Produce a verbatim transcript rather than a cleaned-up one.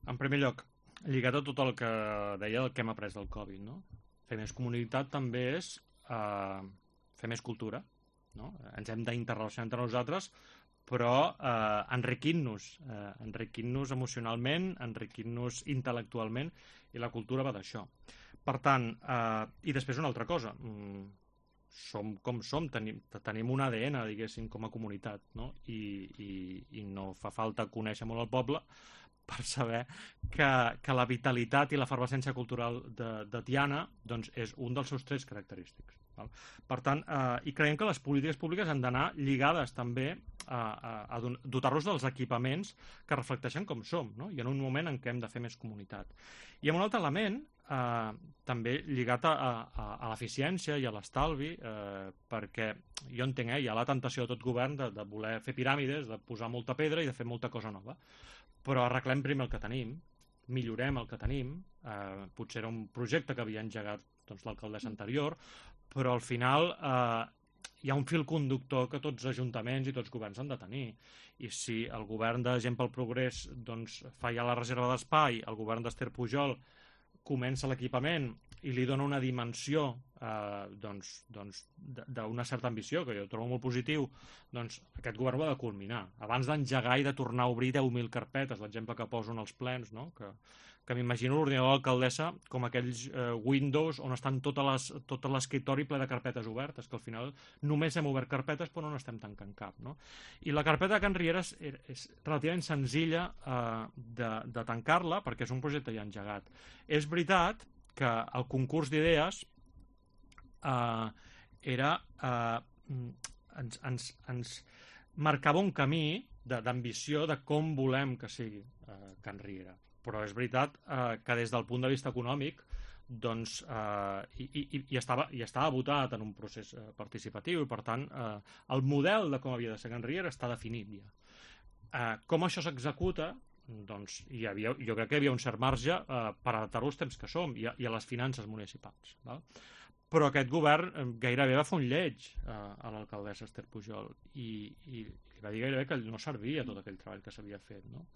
En primer lloc, lligat a tot el que deia del que hem après del Covid, no? Fer més comunitat també és eh, fer més cultura, no? Ens hem d'interrelacionar entre nosaltres, però eh, enriquint-nos, eh, enriquint-nos emocionalment, enriquint-nos intel·lectualment, i la cultura va d'això. Per tant, eh, i després una altra cosa, mm, som com som, tenim, tenim un A D N, diguéssim, com a comunitat, no? I, i, i no fa falta conèixer molt el poble per saber que, que la vitalitat i l'efervescència cultural de, de Tiana doncs, és un dels seus trets característics. Val? Per tant, eh, i creiem que les polítiques públiques han d'anar lligades també a, a, a dotar-los dels equipaments que reflecteixen com som, no? I en un moment en què hem de fer més comunitat. I amb un altre element, eh, també lligat a, a, a l'eficiència i a l'estalvi, eh, perquè jo entenc, eh, hi ha la tentació de tot govern de, de voler fer piràmides, de posar molta pedra i de fer molta cosa nova. Però arreglem primer el que tenim, millorem el que tenim, eh, potser era un projecte que havia engegat doncs, l'alcaldessa anterior, però al final eh, hi ha un fil conductor que tots ajuntaments i tots governs han de tenir. I si el govern de Gent pel Progrés doncs, fa ja la reserva d'espai, el govern d'Ester Pujol comença l'equipament i li dona una dimensió eh, doncs, doncs, d'una certa ambició, que jo trobo molt positiu, doncs aquest govern ho ha de culminar. Abans d'engegar i de tornar a obrir deu mil carpetes, l'exemple que poso en els plens, no? que, que m'imagino l'ordinador de l'alcaldessa com aquells eh, Windows on estan totes les, tot l'escriptori ple de carpetes obertes, que al final només hem obert carpetes però no n'estem tancant cap. No? I la carpeta de Can Riera és, és relativament senzilla eh, de, de tancar-la perquè és un projecte ja engegat. És veritat que el concurs d'idees eh, era eh, ens, ens, ens marcava un camí d'ambició de, de com volem que sigui eh, Can Riera. Però és veritat eh, que des del punt de vista econòmic doncs, eh, i, i, i, estava, i estava votat en un procés eh, participatiu i per tant eh, el model de com havia de ser Can Riera està definit ja. Eh, com això s'executa, doncs hi havia, jo crec que hi havia un cert marge eh, per adaptar-ho als temps que som i a, i a les finances municipals. Val? Però aquest govern gairebé va fer un lleig eh, a l'alcaldessa Ester Pujol i, i li va dir gairebé que no servia tot aquell treball que s'havia fet. No?